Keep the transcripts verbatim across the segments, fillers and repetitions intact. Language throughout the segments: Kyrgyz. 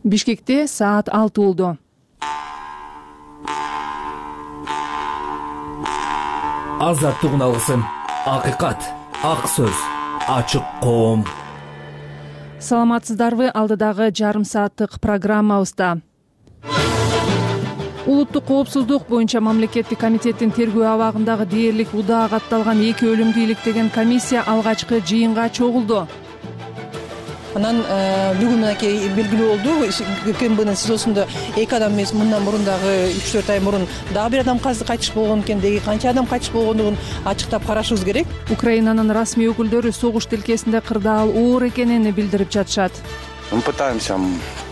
Бишкекте саат алты болду. Азаттыгын алгысың. Акыйкат, ак сөз, ачык коом. Саламатсыздарбы? Алдыдагы жарым сааттык программабызда улуттук коопсуздук боюнча мамлекеттик комитеттин тергөө абагындагы дээрлик удаа катталган эки өлүмдү иликтеген комиссия алгачкы жыйынга чогулду. Анан бүгүн мынакей белгилүү болду. КМБнын СИЗОсунда эки адам эмес, мындан мурун дагы үч төрт ай мурун дагы бир адам кайтыш болгон экен. Деги канча адам кайтыш болгондугун ачыктап карашыбыз керек. Украинанын расмий өкүлдөрү согуш тилкесинде кырдаал оор экенин билдирип жатышат. Мы пытаемся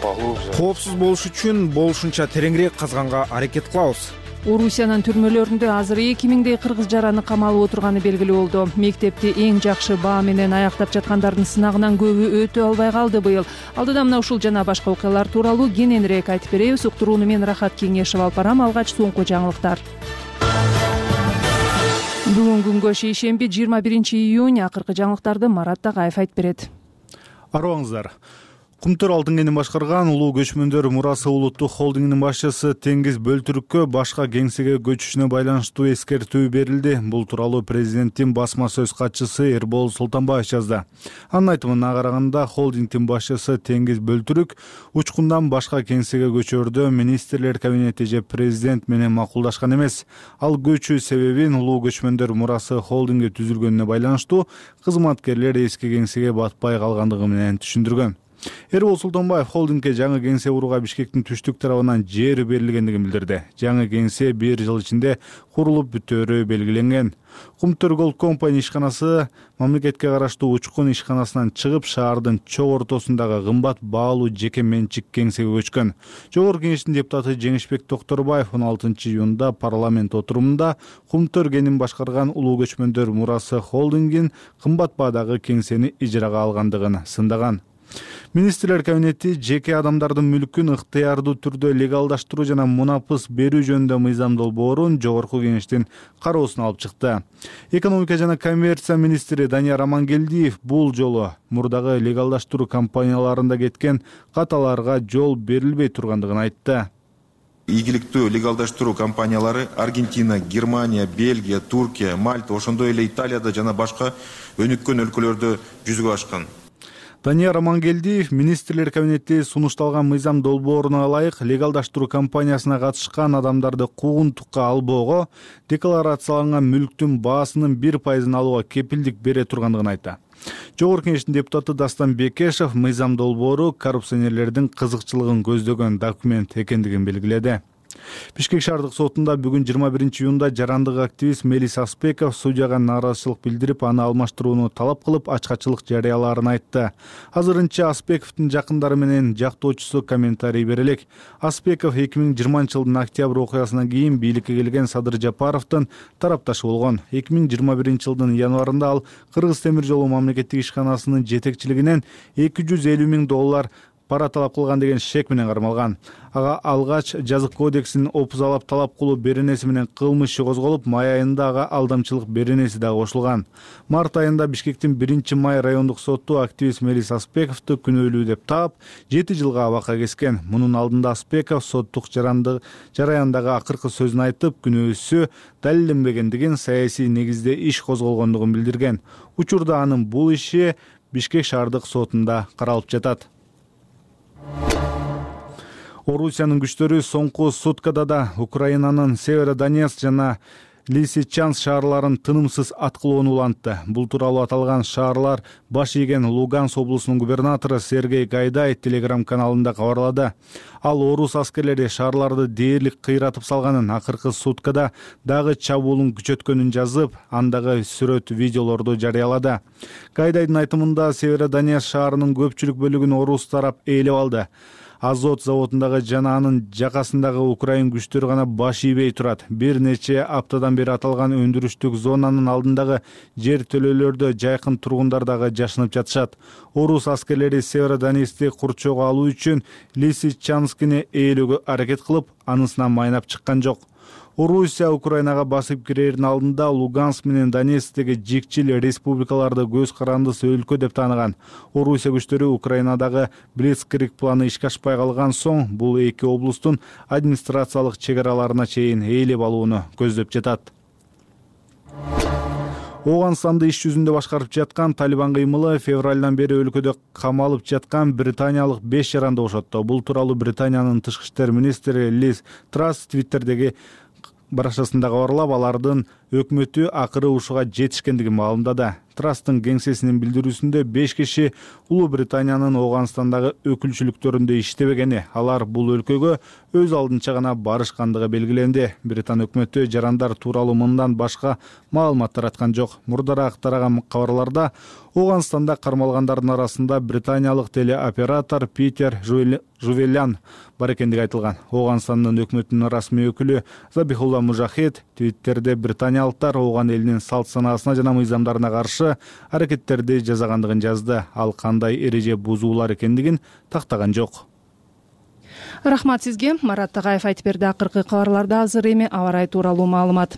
поглубже. Коопсуз болуш үчүн болушунча тереңирээк казганга аракет кылабыз. Орусиянын түрмөлөрүндө азыр эки миңдей кыргыз жараны камалып отурганы белгилүү болду. Мектепти эң жакшы баа менен аяктап жаткандардын сынагынан көбү өтө албай калды быйыл. Алдыда мына ушул жана башка окуялар тууралуу кененирээк айтып беребиз. Уктурууну мен Рахат Кеңешев алып барам. Алгач соңку жаңылыктар. Бүгүн күнгө шейшемби жыйырма биринчи июнь. Акыркы жаңылыктарды Марат Тагаев айтып берет. Арыбаңыздар. Кумтөр Алтынгенин башкарган улуу көчмөндөр мурасы улуттук холдингинин башчысы Теңиз Бөлтүрүккө башка кеңсеге көчүшүнө байланыштуу эскертүү берилди. Бул тууралуу президенттин басма сөз катчысы Эрбол Султанбаев жазды. Анын айтымына караганда, холдингдин башчысы Теңиз Бөлтүрүк учкундан башка кеңсеге көчөрдө министрлер кабинети же президент менен макулдашкан эмес. Ал көчүү себебин улуу көчмөндөр мурасы холдинги түзүлгөнүнө байланыштуу кызматкерлер эски кеңсеге батпай калгандыгы менен түшүндүргөн. Эрбол Султанбаев холдингге жаңы кеңсе курууга Бишкектин түштүк тарабынан жер берилгендигин билдирди. Жаңы кеңсе бир жыл ичинде курулуп бүтөөрү белгиленген. Кумтөр Gold Company ишканасы мамлекетке караштуу учкун ишканасынан чыгып, шаардын чок ортосундагы кымбат баалуу жеке менчик кеңсеге көчкөн. Жогорку Кеңештин депутаты Жеңишбек Токторбаев он алтынчы июнда парламент отурумунда Кумтөр Кенин башкарган улуу көчмөндөр мурасы холдингин кымбат баадагы кеңсени ижарага алгандыгын сындаган. Министрлер кабинети жеке адамдардын мүлкүн ыктыярдуу түрдө легалдаштыруу жана мунапыс берүү жөнүндө мыйзам долбоорун Жогорку Кеңештин кароосуна алып чыкты. Экономика жана коммерция министри Данияр Амангелдиев бул жолу мурдагы легалдаштыруу кампанияларында кеткен каталарга жол берилбей тургандыгын айтты. Ийгиликтүү легалдаштыруу компаниялары Аргентина, Германия, Бельгия, Туркия, Мальта, ошондой эле Италияда жана башка өнүккөн өлкөлөрдө жүзүгө ашкан. Данияр Амангелдиев министрлер кабинети сунушталган мыйзам долбооруна ылайык легалдаштыруу кампаниясына катышкан адамдарды куугунтукка албоого, декларацияланган мүлктүн баасынын бир пайызын алууга кепилдик бере тургандыгын айтты. Жогорку Кеңештин депутаты Дастан Бекешев мыйзам долбоору коррупционерлердин кызыкчылыгын көздөгөн документ экендигин белгиледи. Бишкек шаардык сотунда бүгүн жыйырма биринчи июнда жарандык активист Мелис Аспеков судьяга нааразычылык билдирип, аны алмаштырууну талап кылып, ачкачылык жарыялаарын айтты. Азырынча Аспековдун жакындары менен жактоочусу комментарий бере элек. Аспеков эки миң жыйырманчы жылдын октябрь окуясынан кийин бийликке келген Садыр Жапаровдун тарапташы болгон. эки миң жыйырма биринчи жылдын январында ал Кыргыз темир жолу мамлекеттик ишканасынын жетекчилигинен эки жүз элүү миң доллар пара талап кылган деген шек менен кармалган. Ага алгач жазык кодексинин опузалап талап кылуу беренеси менен кылмыш иши козголуп, май айында ага алдамчылык беренеси дагы кошулган. Март айында Бишкектин биринчи май райондук соту активист Мелис Аспековду күнөөлүү деп таап, жети жылга абакка кескен. Мунун алдында Аспеков соттук жараяндагы акыркы сөзүн айтып, күнөөсү далилденбегендигин, саясий негизде иш козголгондугун билдирген. Учурда анын бул иши Бишкек шаардык сотунда каралып жатат. Орусиянын күчтөрү соңку суткада да Украинанын Северодонецк жана Лисичанск шаарларын тынымсыз аткылоону улантты. Бул тууралуу аталган шаарлар баш ийген Луганск облусунун губернатору Сергей Гайдай телеграм каналында кабарлады. Ал орус аскерлери шаарларды дээрлик кыйратып салганын, акыркы суткада дагы чабуулун күчөткөнүн жазып, андагы сүрөт видеолорду жарыялады. Гайдайдын айтымында Северодонецк шаарынын көпчүлүк бөлүгүн орус тарап ээлеп алды. Азот заводундагы жана анын жакасындагы украин күчтөрү гана баш ийбей турат. Бир нече аптадан бери аталган өндүрүштүк зонанын алдындагы жер төлөөлөрдө жайкын тургундар дагы жашынып жатышат. Орус аскерлери Северодонецкти курчоого алуу үчүн Лисичанскини ээлөөгө аракет кылып, анысынан майнап чыккан жок. Орусия Украинага басып кирердин алдында Луганск менен Донецктеги жикчил республикаларды көз карандысы өлкө деп тааныган. Орусия күчтөрү Украинадагы Блицкриг планы ишке ашпай калган соң бул эки облустун администрациялык чек араларына чейин ээлеп алууну көздөп жатат. Ооганстанды иш жүзүндө башкарып жаткан Талибан кыймылы февралдан бери өлкөдө камалып жаткан британиялык беш жаранды бошотту. Бул тууралуу Британиянын тышкы иштер министри Лиз Трасс Твиттердеги баракчасында кабарлап, алардын өкмөтү акыры ушуга жетишкендигин маалымдады. Трасстын кеңсесинин билдирүүсүндө беш киши Улуу Британиянын Ооганстандагы өкүлчүлүктөрүндө иштебегени, алар бул өлкөгө өз алдынча гана барышкандыгы белгиленди. Британ өкмөтү жарандар тууралуу мындан башка маалымат тараткан жок. Мурдараак тараган кабарларда Ооганстанда кармалгандардын арасында британиялык телеоператор Питер Жувелян бар экендиги айтылган. Ооганстандын өкмөтүнүн расмий өкүлү Забихулла Мужахид Твиттерде британиялыктар Ооган элинин салт санаасына жана мыйзамдарына каршы аракеттерди жасагандыгын жазды. Ал кандай эреже бузуулар экендигин тактаган жок. Рахмат сизге. Марат Тагаев айтып берди. Акыркы кабарларда азыр эми аба ырайы тууралуу маалымат.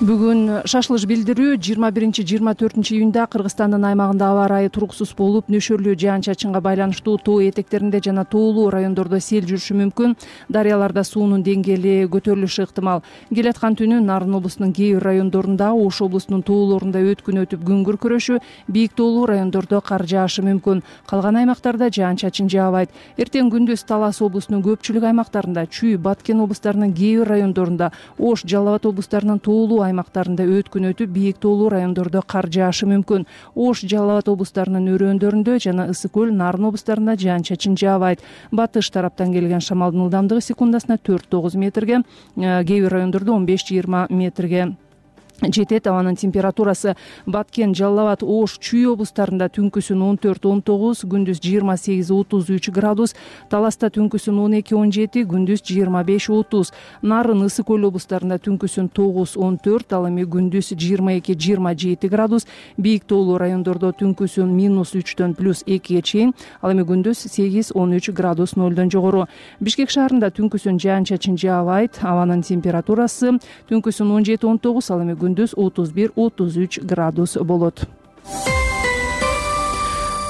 Бүгүн шашылыш билдирүү жыйырма биринчи жыйырма төртүнчү июнда Кыргызстандын аймагында аба ырайы туруксуз болуп, нөшөрлүү жаан-чачынга байланыштуу тоо этектеринде жана тоолуу райондордо сел жүрүшү мүмкүн. Дарыяларда суунун деңгээли көтөрүлүшү ыктымал. Келаткан түнү Нарын облусунун кээ бир райондорунда, Ош облусунун тоолорунда өткүн өтүп күн күркүрөшү, бийик тоолуу райондордо кар жаашы мүмкүн. Калган аймактарда жаан-чачын жаабайт. Эртең күндүз Талас облусунун көпчүлүк аймактарында, Чүй, Баткен облустарынын кээ бир райондорунда, Ош, Жалал Абад облустарынын тоолуу аймактарында өткүн өтүп, бийик тоолуу райондордо кар жаашы мүмкүн. Ош, Жалал Абад облустарынын өрөөндөрүндө жана Ысык көл, Нарын облустарында жаан-чачын жаабайт. Батыш тараптан келген шамалдын ылдамдыгы секундасына төрт тогуз метрге, кээ бир райондордо он беш жыйырма метрге жетет. Абанын температурасы Баткен, Жалал Абад, Ош, Чүй облустарында түнкүсүн он төрт он тогуз, күндүз жыйырма сегиз отуз үч градус, Таласта түнкүсүн он эки он жети, күндүз жыйырма беш отуз, Нарын, Ысык көл облустарында түнкүсүн тогуз он төрт, ал эми күндүз жыйырма эки жыйырма жети градус, бийик тоолуу райондордо түнкүсүн минус үчтөн плюс экиге чейин, ал эми күндүз сегиз он үч градус нөлдөн жогору. Бишкек шаарында түнкүсүн жаан-чачын жаабайт, абанын температурасы түнкүсүн он жети он тогуз, ал эми күндүз отуз бир отуз үч градус болот.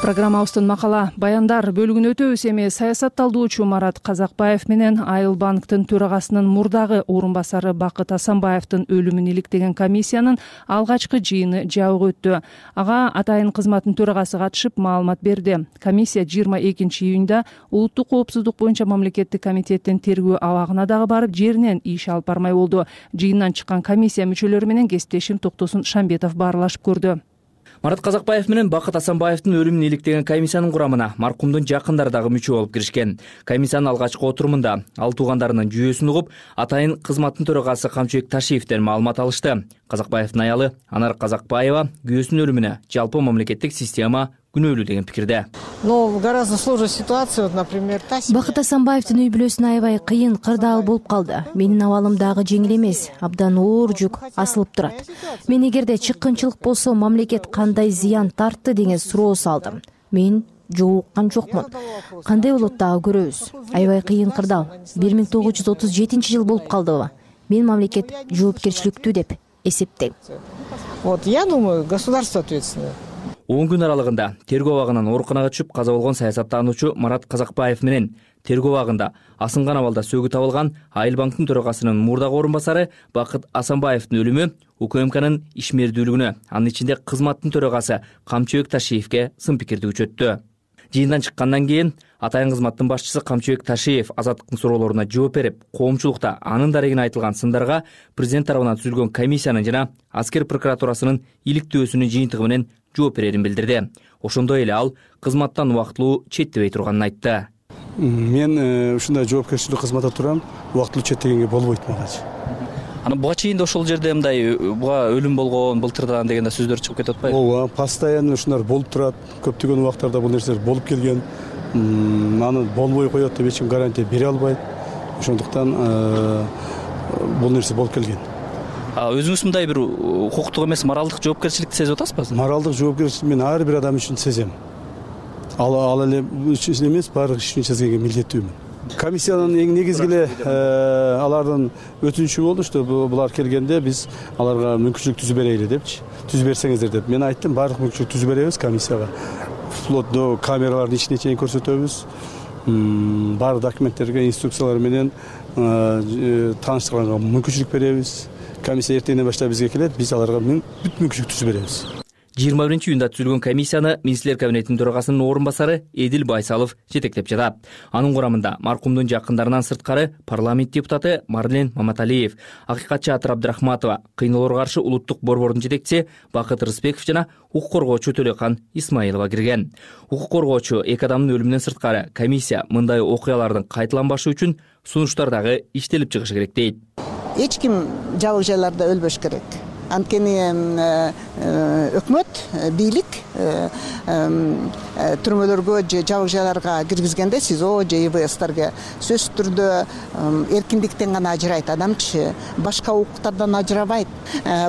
Программабыздын макала баяндар бөлүгүн өтөбүз. Эми саясатталдоочу Марат Казакбаев менен Айыл банктын төрагасынын мурдагы орун басары Бакыт Асанбаевдин өлүмүн иликтеген комиссиянын алгачкы жыйыны жабык өттү. Ага атайын кызматтын төрагасы катышып маалымат берди. Комиссия жыйырма экинчи июнда улуттук коопсуздук боюнча мамлекеттик комитеттин тергөө абагына дагы барып, жеринен иш алып бармай болду. Жыйындан чыккан комиссия мүчөлөрү менен кесиптешим Токтосун Шамбетов баарлашып көрдү. Марат Казакбаев менен Бакыт Асанбаевдин өлүмүн иликтеген комиссиянын курамына маркумдун жакындары дагы мүчө болуп киришкен. Комиссиянын алгачкы отурумунда ал туугандарынын жүйөсүн угуп, атайын кызматтын төрагасы Камчыбек Ташиевден маалымат алышты. Казакбаевдин аялы Анар Казакбаева күйөөсүнүн өлүмүнө жалпы мамлекеттик система күнөөлүү деген пикирде. Но гораздо сложная ситуация, например, Бакыт Асанбаевдин үй бүлөсүнө аябай кыйын, кырдаал болуп калды. Менин абалым дагы жеңил эмес, абдан оор жүк асылып турат. Мен эгерде чыккынчылык болсо, мамлекет кандай зыян тартты деген суроо салдым. Мен жок уккан жокмун. Кандай болот дагы көрөбүз. Аябай кыйын кырдаал. бир миң тогуз жүз отуз жетинчи жыл болуп калдыбы? Мен мамлекет жоопкерчиликтүү деп эсептейм. Вот я думаю, государство ответственное. он күн аралыгында тергөө абагынан ооруканага түшүп каза болгон саясаттануучу Марат Казакбаев менен тергөө абагында асынган абалда сөөгү табылган Айыл банктын төрагасынын мурдагы орун басары Бакыт Асанбаевдин өлүмү УКМКнын ишмердүүлүгүнө, анын ичинде кызматтын төрагасы Камчыбек Ташиевге сын пикирди күчөттү. Жыйындан чыккандан кийин атайын кызматтын башчысы Камчыбек Ташиев азаттыктын суроолоруна жооп берип, коомчулукта анын дарегине айтылган сындарга президент тарабынан түзүлгөн комиссиянын жана аскер прокуратурасынын иликтөөсүнүн жыйынтыгы менен жооп берерин билдирди. Ошондой эле ал кызматтан убактылуу четтебей турганын айтты. Мен ушундай жоопкерчилик кызматта турам, убактылуу четтегенге болбойт магачы. Анан буга чейин да ошол жерде мындай буга өлүм болгон, былтырдан деген сөздөр чыгып кетип атпайбы? Ооба, постоянно ушулар болуп турат. Көптөгөн убактарда бул нерселер болуп келген. Аны болбой коет деп эч ким гарантия бере албайт. Ошондуктан бул нерсе болуп келген. Өзүңүз мындай бир укуктук эмес, моралдык жоопкерчиликти сезип атасызбы? Моралдык жоопкерчилик мен ар бир адам үчүн сезем. Ал ал эле үчүн эмес, баардык иш үчүн сезгенге милдеттүүмүн. комиссиянын эң негизги эле алардын өтүнүчү болду, что булар келгенде биз аларга мүмкүнчүлүк түзүп берели депчи, түзүп берсеңиздер деп. Мен айттым, баардык мүмкүнчүлүк түзүп беребиз комиссияга. Вплоть до камералардын ичине чейин көрсөтөбүз. Баардык документтерге, инструкциялар менен тааныштырганга мүмкүнчүлүк беребиз. Комиссия эртеңден баштап бизге келет, биз аларга бүт мүмкүнчүлүк түзүп беребиз. жыйырма биринчи июнда түзүлгөн комиссияны министрлер кабинетинин төрагасынын орун басары Эдил Байсалов жетектеп жатат. Анын курамында маркумдун жакындарынан сырткары парламент депутаты Марлен Маматалиев, акыйкатчы Атыр Абдрахматова, кыйноолорго каршы улуттук борбордун жетекчиси Бакыт Рысбеков жана укук коргоочу Төлөкан Исмаилова кирген. Укук коргоочу эки адамдын өлүмүнөн сырткары комиссия мындай окуялардын кайталанбашы үчүн сунуштар дагы иштелип чыгышы керек дейт. Эч ким жабык жайларда өлбөш керек. Анткени өкмөт, бийлик түрмөлөргө же жабык жайларга киргизгенде СИЗО же И В С'терге сөзсүз түрдө эркиндиктен гана ажырайт адамчы, башка укуктардан ажырабайт.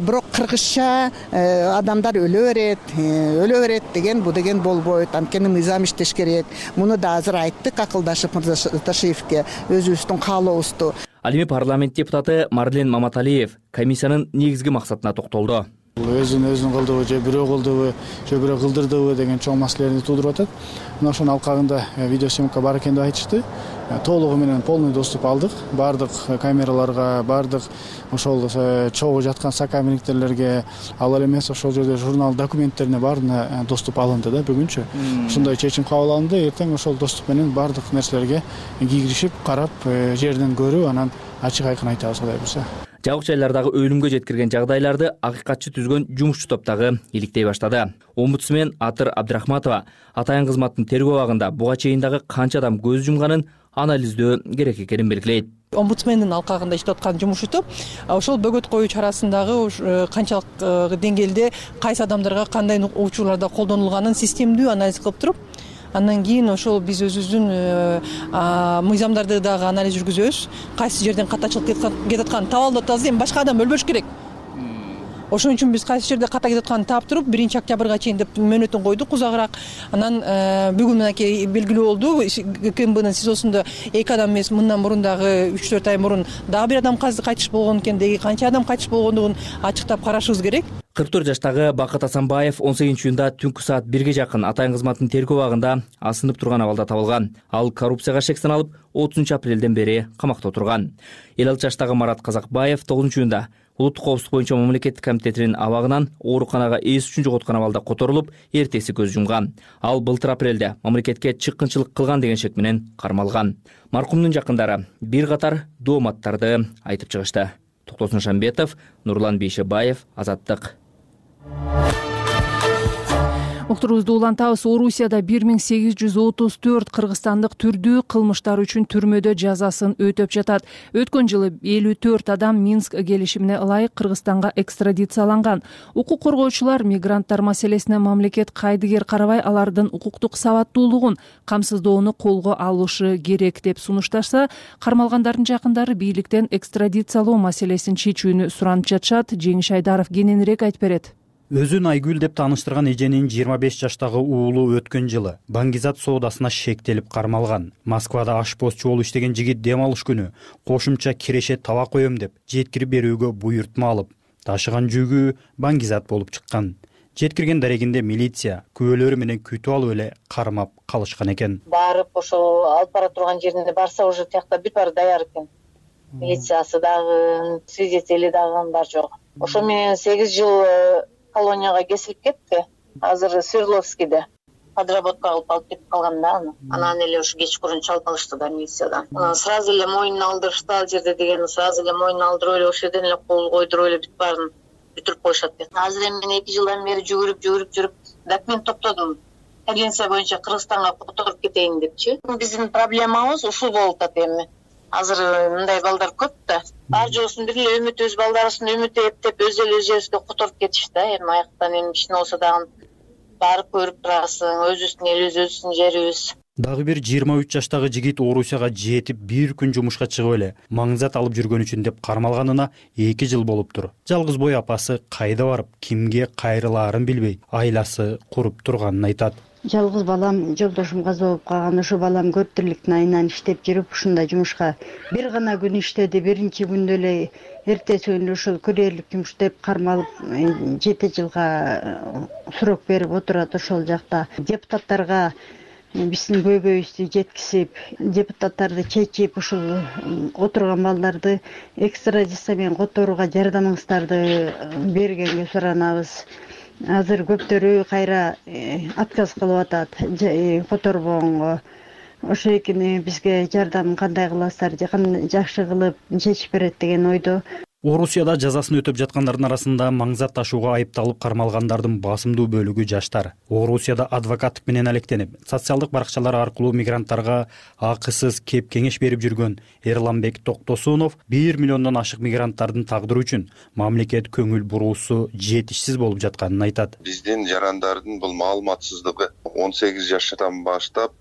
Бирок кыргызча адамдар өлө берет, өлө берет деген бу деген болбойт. Анткени мыйзам иштеш керек. Муну да азыр айттык акылдашып Мырзаташиевке өзүбүздүн каалообузду. Ал эми парламент депутаты Марлен Маматалиев комиссиянын негизги максатына токтолду. Өзүн өзүн кылдыбы же бирөө кылдыбы же бирөө кылдырдыбы деген чоң маселелерди туудуруп атат. Мына ошонун алкагында видеосъемка бар экен деп айтышты. Толугу менен полный доступ алдык. Бардык камераларга, бардык ошол чогуу жаткан сокамерниктерлерге, ал эле эмес ошол жерде журнал документтерине баарына доступ алынды да бүгүнчү. Ушундай чечим кабыл алынды. Эртең ошол доступ менен бардык нерселерге киришип, карап, жерден көрүп, анан ачык айкын айтабыз Кудай буйрса. Жабык жайлардагы өлүмгө жеткирген жагдайларды акыйкатчы түзгөн жумушчу топ дагы иликтей баштады. Омбудсмен Атыр Абдрахматова атайын кызматтын тергөө абагында буга чейин дагы канча адам көз жумганын анализдөө керек экенин белгилейт. Омбудсмендин алкагында иштеп аткан жумушчу топ ошол бөгөт коюу чарасындагы канчалык деңгээлде кайсы адамдарга кандай учурларда колдонулганын системдүү анализ кылып туруп, андан кийин ошол биз өзүбүздүн мыйзамдарды дагы анализ жүргүзөбүз. Кайсы жерден катачылык кетип атканын таап алып атабыз. Эми башка адам өлбөш керек. Ошон үчүн биз кайсы жерде ката кетип атканын таап туруп, биринчи октябрга чейин деп мөөнөтүн койдук узагыраак. Анан бүгүн мынакей белгилүү болду. КМБнын СИЗОсунда эки адам эмес, мындан мурун дагы үч төрт ай мурун дагы бир адам кайтыш болгон экен. Деги канча адам кайтыш болгондугун ачыктап карашыбыз керек. кырк төрт жаштагы Бакыт Асанбаев он сегизинчи июнда түнкү саат бирге жакын атайын кызматтын тергөө абагында асынып турган абалда табылган. Ал коррупцияга шек саналып, отузунчу апрелден бери камакта отурган. элүү алты жаштагы Марат Казакбаев тогузунчу июнда улуттук коопсуздук боюнча мамлекеттик комитетинин абагынан ооруканага эс үчүн жоготкон абалда которулуп, эртеси көз жумган. Ал былтыр апрелде мамлекетке чыккынчылык кылган деген шек менен кармалган. Маркумдун жакындары бир катар дооматтарды айтып чыгышты. Токтосун Шамбетов, Нурлан Бейшебаев, Азаттык. Уктурубузду улантабыз. Орусияда бир миң сегиз жүз отуз төрт кыргызстандык түрдүү кылмыштар үчүн түрмөдө жазасын өтөп жатат. Өткөн жылы элүү төрт адам Минск келишимине ылайык Кыргызстанга экстрадицияланган. Укук коргоочулар мигранттар маселесине мамлекет кайдыгер карабай алардын укуктук сабаттуулугун камсыздоону колго алышы керек деп сунушташса, кармалгандардын жакындары бийликтен экстрадициялоо маселесин чечүүнү суранып жатышат. Жеңиш Айдаров кененирээк айтып берет. Өзүн Айгүл деп тааныштырган эженин жыйырма беш жаштагы уулу өткөн жылы баңгизат соодасына шектелип кармалган. Москвада ашпозчу болуп иштеген жигит дем алыш күнү кошумча киреше таба коем деп жеткирип берүүгө буйртма алып, ташыган жүгү баңгизат болуп чыккан. Жеткирген дарегинде милиция күбөлөрү менен күтүп алып эле кармап калышкан экен. Барып ошол алып бара турган жеринде барса уже тиякта бир баары даяр экен. Милициясы дагы, свидетели дагы бар жок. Ошо менен сегиз жыл колонияга кесилип кетти. Азыр Свердловскийде подработка кылып алып кетип калган да аны. Анан эле ушу кечкурун чалып алышты да милициядан. Анан сразу эле мойнуна алдырышты ал жерде деген, сразу эле мойнуна алдырып эле ошол жерден эле кол койдуруп эле бүт баарын бүтүрүп коюшат экен. Азыр эми мен эки жылдан бери жүгүрүп жүгүрүп жүрүп документ топтодум. Конвенция боюнча Кыргызстанга которуп кетейин депчи. Биздин проблемабыз ушул болуп атат эми. Азыр мындай балдар көп да. Бар жоосун бир эле үмүт, өз балдарысын үмүт эптеп өз эле өз жерибизге которуп кетишти да. Эми аяктан эми кичине болсо дагы барып көрүп турасың, өзүбүздүн элибиз, өзүбүздүн жерибиз. Дагы бир жыйырма үч жаштагы жигит Орусияга жетип бир күн жумушка чыгып эле маңзат алып жүргөн үчүн деп кармалганына эки жыл болуптур. Жалгыз бой апасы кайда барып, кимге кайрылаарын билбей, айласы куруп турганын айтат. жалгыз балам жолдошум каза болуп калган. Ошо балам көп тирликтин айынан иштеп жүрүп ушундай жумушка бир гана күн иштеди. Биринчи күндө эле эртеси күнү ошол күрээрлик жумуш деп кармалып жети жылга срок берип отурат ошол жакта. Депутаттарга биздин көйгөйүбүздү жеткизип, депутаттарды чечип, ушул отурган балдарды экстрадиция менен которууга жардамыңыздарды бергенге суранабыз. Азыр көптөрү кайра отказ кылып атат которбогонго. Ошо экини бизге жардам кандай кыласыздар, жакшы кылып чечип берет деген ойдо. Орусияда жазасын өтөп жаткандардын арасында маңзат ташууга айыпталып кармалгандардын басымдуу бөлүгү жаштар. Орусияда адвокаттык менен алектенип, социалдык баракчалар аркылуу мигранттарга акысыз кеп кеңеш берип жүргөн Эрланбек Токтосунов бир миллиондон ашык мигранттардын тагдыры үчүн мамлекет көңүл буруусу жетишсиз болуп жатканын айтат. Биздин жарандардын бул маалыматсыздыгы он сегиз жаштан баштап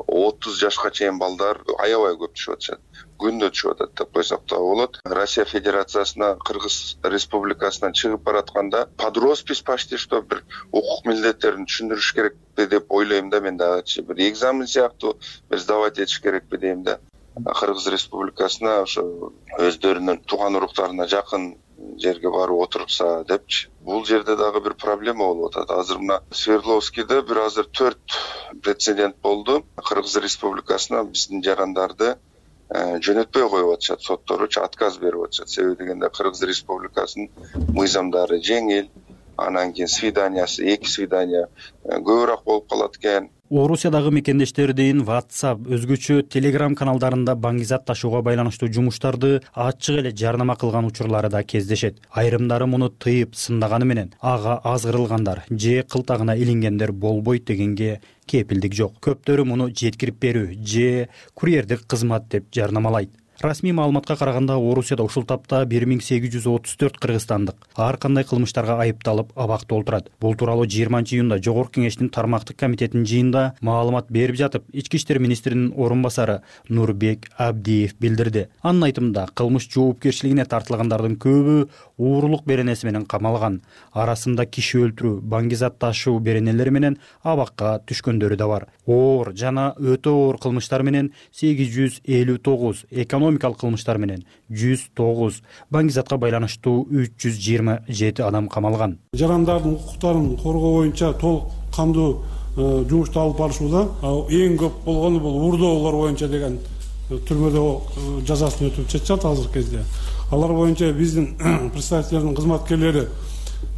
отуз жашка чейин балдар аябай көп түшүп атышат. Күндө түшүп атат деп койсок да болот. Россия Федерациясына, Кыргыз Республикасынан чыгып баратканда под роспись почти что бир укук милдеттерин түшүндүрүш керекпи деп ойлойм да мен дагычы. Бир экзамен сыяктуу бир сдавать этиш керекпи дейм да. Кыргыз Республикасына ошо өздөрүнүн тууган уруктарына жакын жерге барып отурса депчи. Бул жерде дагы бир проблема болуп атат. Азыр мына Свердловскийде бир азыр төрт прецедент болду. Кыргыз Республикасына биздин жарандарды жөнөтпөй коюп атышат, сотторучу отказ берип атышат. Себеби дегенде Кыргыз Республикасынын мыйзамдары жеңил, анан кийин свиданиясы, эки свидания көбүрөөк болуп калат экен. Орусиядагы мекендештердин WhatsApp, өзгөчө Telegram каналдарында баңгизат ташууга байланыштуу жумуштарды ачык эле жарнама кылган учурлары да кездешет. Айрымдары муну тыйып сындаганы менен ага азгырылгандар же кылтагына илингендер болбойт дегенге кепилдик жок. Көптөрү муну жеткирип берүү же курьердик кызмат деп жарнамалайт. Расмий маалыматка караганда Орусияда ушул тапта бир миң сегиз жүз отуз төрт кыргызстандык ар кандай кылмыштарга айыпталып абакта олтурат. Бул тууралуу жыйырманчы июнда Жогорку Кеңештин тармактык комитетинин жыйынында маалымат берип жатып, Ички иштер министринин орун басары Нурбек Абдиев билдирди. Анын айтымында, кылмыш жоопкерчилигине тартылгандардын көбү уурулук беренеси менен камалган. Арасында киши өлтүрүү, баңгизат ташуу беренелери менен абакка түшкөндөрү да бар. Оор жана өтө оор кылмыштар менен сегиз жүз элүү тогуз, экономикалык кылмыштар менен жүз тогуз, баңгизатка байланыштуу үч жүз жыйырма жети адам камалган. Жарандардын укуктарын коргоо боюнча толук кандуу жумушту алып барышууда эң көп болгону бул уурдоолор боюнча деген түрмөдө жазасын өтүп жатышат азыркы кезде. Алар боюнча биздин представительдердин кызматкерлери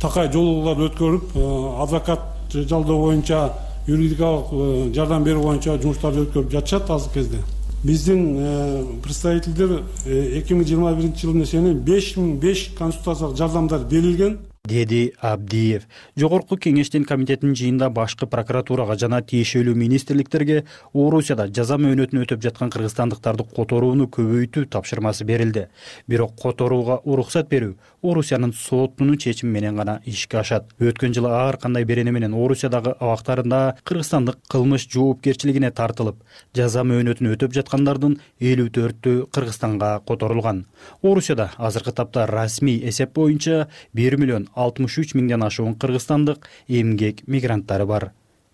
такай жолугуулар өткөрүп, адвокат жалдоо боюнча, юридикалык жардам берүү боюнча жумуштарды өткөрүп жатышат азыркы кезде. Биздин представительдер эки миң жыйырма биринчи жылдын эсебинен беш миң беш консультациялык жардамдар берилген, деди Абдиев. Жогорку Кеңештин комитетинин жыйында башкы прокуратурага жана тиешелүү министрликтерге Орусияда жаза мөөнөтүн өтөп жаткан кыргызстандыктарды которууну көбөйтүү тапшырмасы берилди. Бирок которууга уруксат берүү Орусиянын сотунун чечими менен гана ишке ашат. Өткөн жылы ар кандай берене менен Орусиядагы абактарында кыргызстандык кылмыш жоопкерчилигине тартылып, жаза мөөнөтүн өтөп жаткандардын элүү төртү Кыргызстанга которулган. Орусияда азыркы тапта расмий эсеп боюнча бир миллион алтымыш үч миңден ашуун кыргызстандык эмгек мигранттары бар.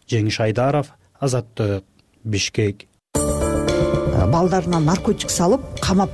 Жеңиш Айдаров, Азаттык, Бишкек. Балдарына наркотик салып, камап,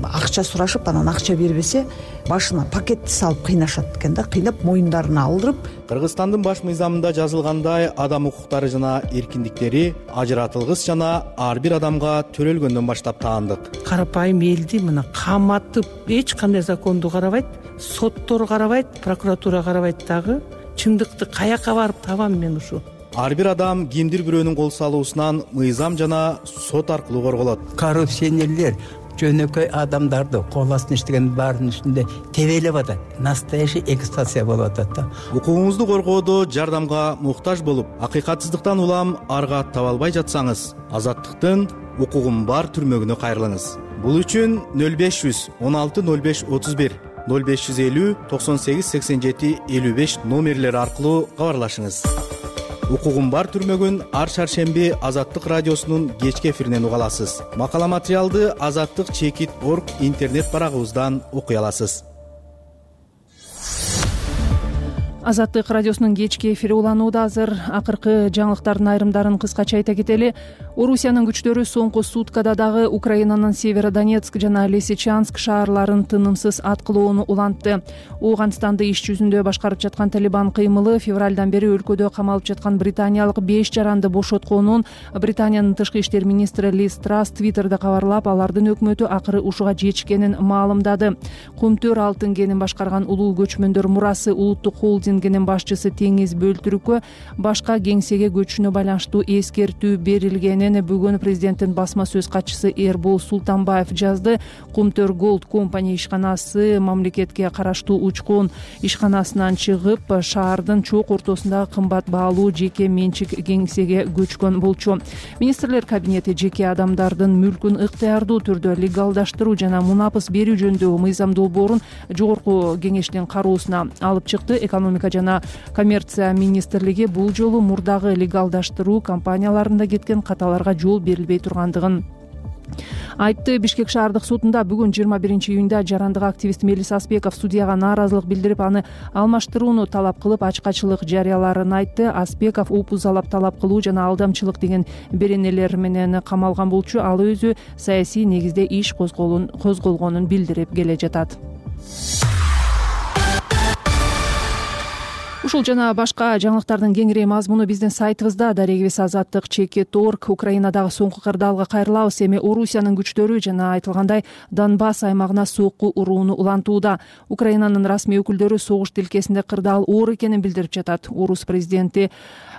акча сурашып, анан акча бербесе, башына пакетти салып кыйнашат экен да, кыйнап моюндарына алдырып. Кыргызстандын баш мыйзамында жазылгандай, адам укуктары жана эркиндиктери ажыратылгыс жана ар бир адамга төрөлгөндөн баштап таандык. Карапайым элди мына каматып, эч кандай законду карабайт, соттор карабайт, прокуратура карабайт дагы. Чындыкты каяка барып табам мен ушу? Ар бир адам кимдир бирөөнүн кол салуусунан мыйзам жана сот аркылуу корголот. Коррупционерлер жөнөкөй адамдарды кол астына иштеген баарынын үстүндө тебелеп атат. Настоящий эксплуатация болуп атат да. Укугуңузду коргоодо жардамга муктаж болуп, акыйкатсыздыктан улам арга таба албай жатсаңыз, Азаттыктын укугум бар түрмөгүнө кайрылыңыз. Бул үчүн нөл беш жүз он алты нөл беш отуз бир, нөл беш жүз элүү токсон сегиз сексен жети элүү беш номерлери аркылуу кабарлашыңыз. Укугум бар түрмөгүн ар шаршемби Азаттык радиосунун кечки эфиринен уга аласыз. Макала материалды азаттык чекит точка орг интернет барагыбыздан окуй аласыз. Азаттык радиосунун кечки эфири уланууда. Азыр акыркы жаңылыктардын айрымдарын кыскача айта кетели. Орусиянын күчтөрү соңку суткада дагы Украинанын Северодонецк жана Лисичанск шаарларын тынымсыз аткылоону улантты. Ооганстанды иш жүзүндө башкарып жаткан Талибан кыймылы февралдан бери өлкөдө камалып жаткан британиялык беш жаранды бошотконун Британиянын тышкы иштер министри Лиз Трасс Твиттерде кабарлап, алардын өкмөтү акыры ушуга жетишкенин маалымдады. Кумтөр алтын кенин башкарган улуу көчмөндөр мурасы улуттук холдингинин башчысы Теңиз Бөлтүрүккө башка кеңсеге көчүүнө байланыштуу эскертүү берилгенин бүгүн президенттин басма сөз катчысы Эрбол Султанбаев жазды. Кумтөр Gold Company ишканасы мамлекетке караштуу учкун ишканасынан чыгып, шаардын чок ортосундагы кымбат баалуу жеке менчик кеңсеге көчкөн болчу. Министрлер кабинети жеке адамдардын мүлкүн ыктыярдуу түрдө легалдаштыруу жана мунапыс берүү жөнүндөгү мыйзам долбоорун жогорку кеңештин кароосуна алып чыкты. Экономика жана коммерция министрлиги бул жолу мурдагы легалдаштыруу компанияларында кеткен каталарга жол берилбей тургандыгын айтты. Бишкек шаардык сотунда бүгүн жыйырма биринчи июнда жарандык активист Мелис Аспеков судьяга нааразылык билдирип, аны алмаштырууну талап кылып, ачкачылык жарыяларын айтты. Аспеков опузалап талап кылуу жана алдамчылык деген беренелер менен камалган болчу. Ал өзү саясий негизде иш козголгонун билдирип келе жатат. Ушул жана башка жаңылыктардын кеңири мазмуну биздин сайтыбызда. Дарегибиз азаттык чекит орг. Украинадагы соңку кырдаалга кайрылабыз. Эми Орусиянын күчтөрү жана айтылгандай Донбасс аймагына сокку урууну улантууда. Украинанын расмий өкүлдөрү согуш тилкесинде кырдаал оор экенин билдирип жатат. Орус президенти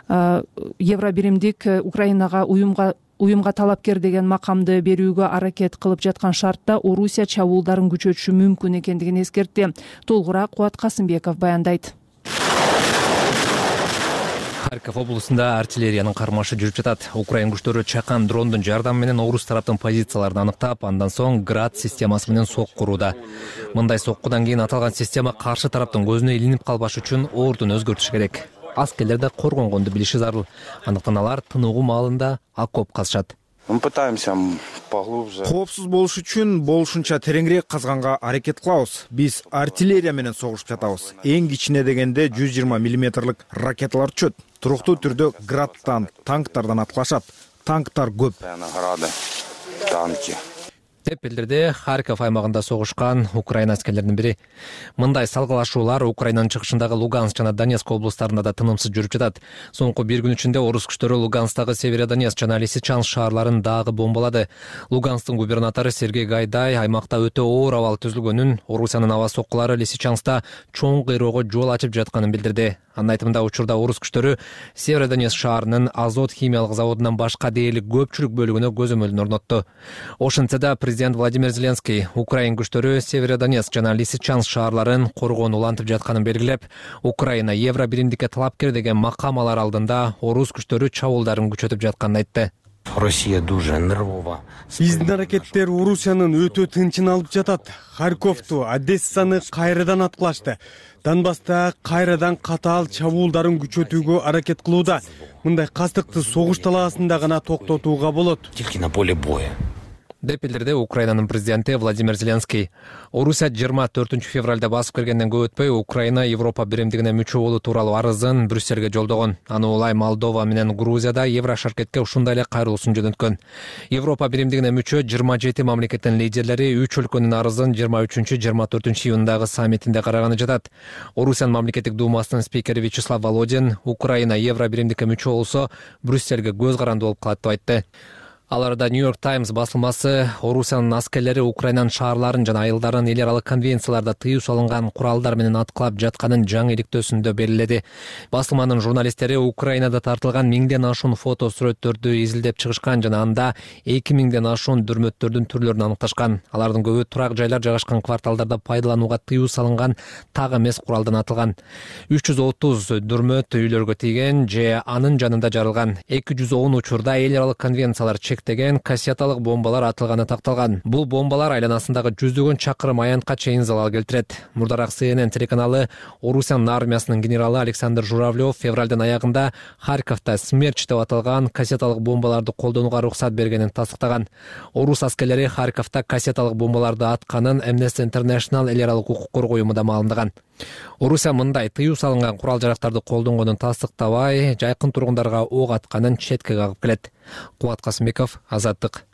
Евробиримдик Украинага уюмга уюмга талапкер деген макамды берүүгө аракет кылып жаткан шартта Орусия чабуулдарын күчөтүшү мүмкүн экендигин эскертти. Толугураак Кубат Касымбеков баяндайт. Харьков облусунда артиллериянын кармашы жүрүп жатат. Украин күчтөрү чакан дрондун жардамы менен орус тараптын позицияларын аныктап, андан соң град системасы менен сокку урууда. Мындай соккудан кийин аталган система каршы тараптын көзүнө илинип калбаш үчүн ордун өзгөртүш керек. Аскерлер да коргонгонду билиши зарыл. Андыктан алар тыныгуу маалында окоп казышат. Мы пытаемся поглубже. Коопсуз болуш үчүн болушунча тереңирээк казганга аракет кылабыз. Биз артиллерия менен согушуп жатабыз. Эң кичине дегенде жүз жыйырма миллиметрлик ракеталар түшөт. Туруктуу түрдө градтан, танктардан аткылашат. Танктар көп. Танки деп билдирди Харьков аймагында согушкан Украина аскерлеринин бири. Мындай салгылашуулар Украинанын чыгышындагы Луганск жана Донецк облустарында да тынымсыз жүрүп жатат. Соңку бир күн ичинде орус күчтөрү Луганскдагы Северодонецк жана Лисичанск шаарларын дагы бомбалады. Луганскдын губернатору Сергей Гайдай аймакта өтө оор абал түзүлгөнүн, Орусиянын аба соккулары Лисичанскта чоң кыйроого жол ачып жатканын билдирди. Анын айтымында учурда орус күчтөрү Северодонецк шаарынын Азот химиялык заводунан башка дээрлик көпчүлүк бөлүгүнө көзөмөлүн орнотту. Ошентсе да президент Владимир Зеленский Украин күчтөрү Северодонецк жана Лисичанск шаарларын коргоону улантып жатканын белгилеп, Украина Евробиримдикке талапкер деген макам алар алдында орус күчтөрү чабуулдарын күчөтүп жатканын айтты. Россия дуже нервова. Биздин аракеттер Орусиянын өтө тынчын алып жатат. Харьковту, Одессаны кайрадан аткылашты. Донбасста кайрадан катаал чабуулдарын күчөтүүгө аракет кылууда. Мындай кастыкты согуш талаасында гана токтотууга болот. Тилки на поле боя. деп билдирди Украинанын президенти Владимир Зеленский. Орусия жыйырма төртүнчү февралда басып киргенден көп өтпөй Украина Европа биримдигине мүчө болуу тууралуу арызын Брюссельге жолдогон. Аны улай Молдова менен Грузияда Еврошаркетке ушундай эле кайрылуусун жөнөткөн. Европа биримдигине мүчө жыйырма жети мамлекеттин лидерлери үч өлкөнүн арызын жыйырма үчүнчү жыйырма төртүнчү июндагы саммитинде караганы жатат. Орусиянын мамлекеттик думасынын спикери Вячеслав Володин Украина Евро биримдикке мүчө болсо Брюссельге көз каранды болуп калат деп айтты. Аларда Нью-Йорк Таймс басылмасы Орусиянын аскерлери Украинанын шаарларын жана айылдарын эл аралык конвенцияларда тыюу салынган куралдар менен аткылап жатканын жаңы иликтөөсүндө белгиледи. Басылманын журналисттери Украинада тартылган миңден ашуун фото сүрөттөрдү изилдеп чыгышкан жана анда эки миңден ашуун дүрмөттөрдүн түрлөрүн аныкташкан. Алардын көбү турак жайлар жайгашкан кварталдарда пайдаланууга тыюу салынган так эмес куралдан атылган. үч жүз отуз дүрмөт үйлөргө тийген же анын жанында жарылган. эки жүз он учурда эл аралык конвенциялар деген кассеталык бомбалар атылганы такталган. Бул бомбалар айланасындагы жүздөгөн чакырым аянтка чейин залал келтирет. Мурдараак Си Эн Эн телеканалы Орусиянын армиясынын генералы Александр Журавлев февралдын аягында Харьковто Смерч деп аталган кассеталык бомбаларды колдонууга уруксат бергенин тастыктаган. Орус аскерлери Харьковто кассеталык бомбаларды атканын Amnesty International эл аралык укук коргоо уюму да маалымдаган. Орусия мындай тыюу салынган курал жарактарды колдонгонун тастыктабай, жайкын тургундарга ок атканын четке кагып келет. Кубат Касымбеков, Азаттык.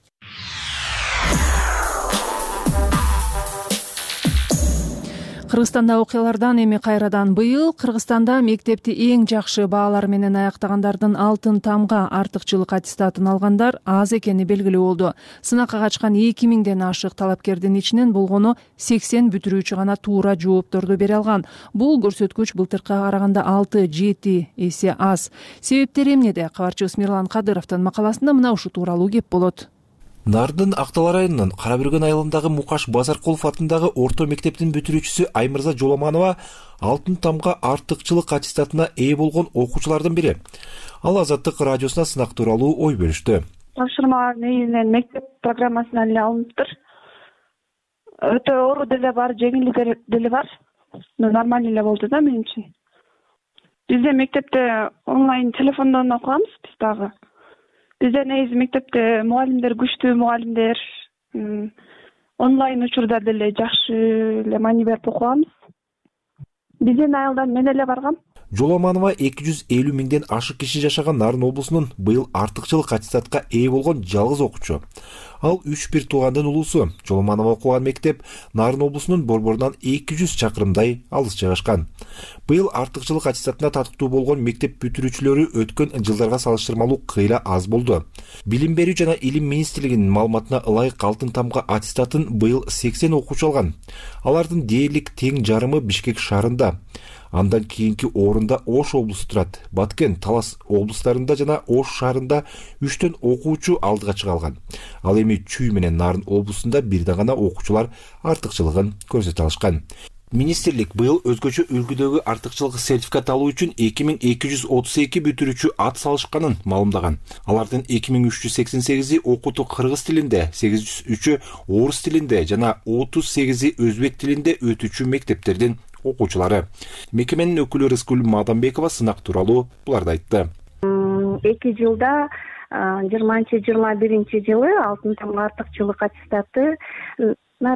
Кыргызстанда окуялардан эми кайрадан быйыл Кыргызстанда мектепти эң жакшы баалар менен аяктагандардын алтын тамга артыкчылык аттестатын алгандар аз экени белгилүү болду. Сынакка качкан эки миңден ашык талапкердин ичинен болгону сексен бүтүрүүчү гана туура жоопторду бере алган. Бул көрсөткүч былтыркыга караганда алты жети эсе аз. Себептери эмнеде? Кабарчыбыз Мирлан Кадыровдун макаласында мына ушул тууралуу кеп болот. Нардын Актал районунун Карабүргөн айылындагы Мукаш Базаркулов атындагы орто мектептин бүтүрүүчүсү Аймырза Жоламанова алтын тамга артыкчылык аттестатына ээ болгон окуучулардын бири. Ал Азаттык радиосуна сынак тууралуу ой бөлүштү. Тапшырма негизинен мектеп программасына эле алыныптыр. Өтө оор деле бар, жеңил деле бар. Нормалдуу эле болду да мен үчүн. Бизде мектепте онлайн телефондон окуганбыз биз дагы. Бизде негизи мектепте мугалимдер күчтүү мугалимдер, онлайн учурда деле жакшы эле маани берип окуганбыз. Биздин айылдан мен эле баргам. Жоламанова эки жүз элүү миңден ашык киши жашаган Нарын облусунун быйыл артыкчылык аттестатка ээ болгон жалгыз окуучу. Ал үч бир туугандын улуусу. Жоламанова окуган мектеп Нарын облусунун борборунан эки жүз чакырымдай алыс жайгашкан. Быйыл артыкчылык аттестатына татыктуу болгон мектеп бүтүрүүчүлөрү өткөн жылдарга салыштырмалуу кыйла аз болду. Билим берүү жана илим министрлигинин маалыматына ылайык алтын тамга аттестатын быйыл сексен окуучу алган. Алардын дээрлик тең жарымы Бишкек шаарында. Андан кийинки орунда Ош облусу турат. Баткен, Талас облустарында жана Ош шаарында үчтөн окуучу алдыга чыга алган. Ал эми Чүй менен Нарын облусунда бирден гана окуучулар артыкчылыгын көрсөтө алышкан. Министрлик быйыл өзгөчө үлгүдөгү артыкчылык сертификат алуу үчүн эки миң эки жүз отуз эки бүтүрүүчү ат салышканын маалымдаган. Алардын эки миң үч жүз сексен сегизи окутуу кыргыз тилинде, сегиз жүз үчү орус тилинде жана отуз сегизи өзбек тилинде өтүүчү мектептердин окуучулары. Мекеменин өкүлү Рыскүл Мадамбекова сынак тууралуу буларды айтты. эки жылда жыйырманчы жыйырма биринчи жылы алтын тамга артыкчылык аттестаты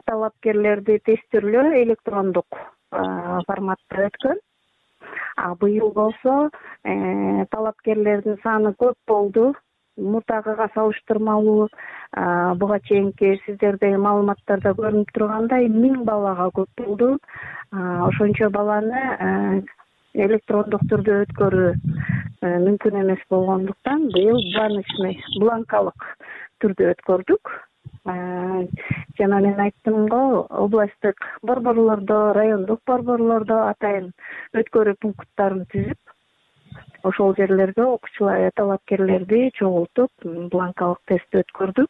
талапкерлерди тестирлөө электрондук форматта өткөн. А быйыл болсо талапкерлердин саны көп болду. Мурдагыга салыштырмалуу буга чейинки сиздердеги маалыматтарда көрүнүп тургандай миң балага көп болду. Ошончо баланы электрондук түрдө өткөрүү мүмкүн эмес болгондуктан быйыл бланочный, бланкалык түрдө өткөрдүк. Жана мен айттым го, областтык борборлордо, райондук борборлордо атайын өткөрүү пункттарын түзүп, ошол жерлерде окуучулар, талапкерлерди чогултуп, бланкалык тестти өткөрдүк.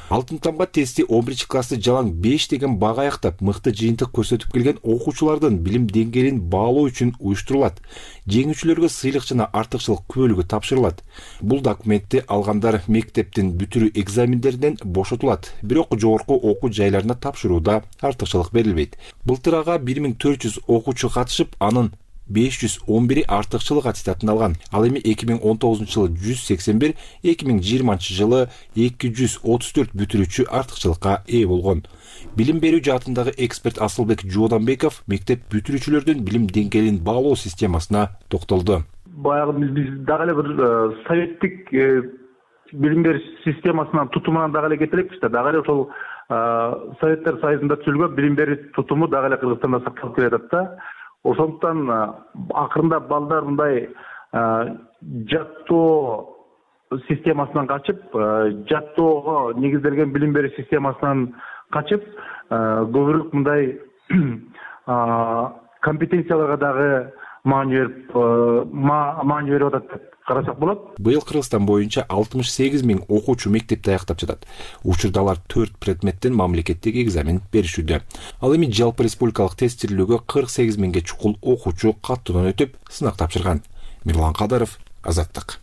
Алтын тамга тести он биринчи классты жалаң беш деген бага аяктап, мыкты жыйынтык көрсөтүп келген окуучулардын билим деңгээлин баалоо үчүн уюштурулат. Жеңүүчүлөргө сыйлык жана артыкчылык күбөлүгү тапшырылат. Бул документти алгандар мектептин бүтүрүү экзамендеринен бошотулат. Бирок жогорку окуу жайларына тапшырууда артыкчылык берилбейт. Былтыр ага бир миң төрт жүз окуучу катышып, анын беш жүз он бири артыкчылык аттестатын алган. Ал эми эки миң он тогузунчу жылы жүз сексен бир, эки миң жыйырманчы жылы эки жүз отуз төрт бүтүрүүчү артыкчылыкка ээ болгон. Билим берүү жаатындагы эксперт Асылбек Жууданбеков мектеп бүтүрүүчүлөрдүн билим деңгээлин баалоо системасына токтолду. Баягы биз дагы эле бир советтик билим берүү системасынан тутумунан дагы эле кетелекпиз да. Дагы эле ошол Советтер Союзунда түзүлгөн билим берүү тутуму дагы эле Кыргызстанда сакталып келатат да. Ошондуктан акырында балдар мындай жаттоо системасынан качып, жаттоого негизделген билим берүү системасынан качып, көбүрөөк мындай компетенцияларга дагы маани берип, маани берип атат деп карасак болот. Быйыл Кыргызстан боюнча алтымыш сегиз миң окуучу мектепти аяктап жатат. Учурда алар төрт предметтен мамлекеттик экзамен беришүүдө. Ал эми жалпы республикалык тестирлөөгө кырк сегиз миңге чукул окуучу каттуудан өтүп, сынак тапшырган. Мирлан Кадыров, Азаттык.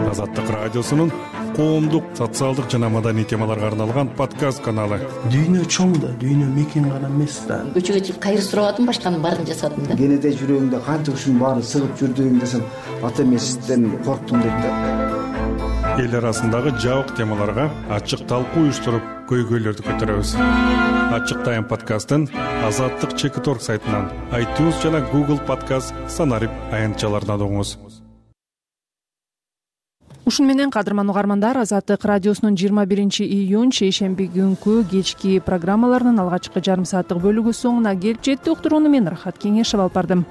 Азаттык радиосунун коомдук, социалдык жана маданий темаларга арналган подкаст каналы. Дүйнө чоң да, дүйнө мекен гана эмес да. Көчөгө чыгып кайыр сурабадым, башканын баарын жасадым да. Кенете жүрөгүңдө канча ушунун баарын сыгып жүрдүгүңдө сен ата эмесизден корктум дейт да. эл арасындагы жабык темаларга ачык талкуу уюштуруп көйгөйлөрдү көтөрөбүз. Ачык тайм подкастын Азаттык чекит точка орг сайтынан, iTunes жана Google Podcast санарип аянтчаларынан угуңуз. Ушун менен кадырман угармандар, Азаттык радиосунун жыйырма биринчи июнь шейшемби күнкү кечки программаларынын алгачкы жарым сааттык бөлүгү соңуна келип жетти. Уктурууну мен Рахат Кеңешева алып бардым.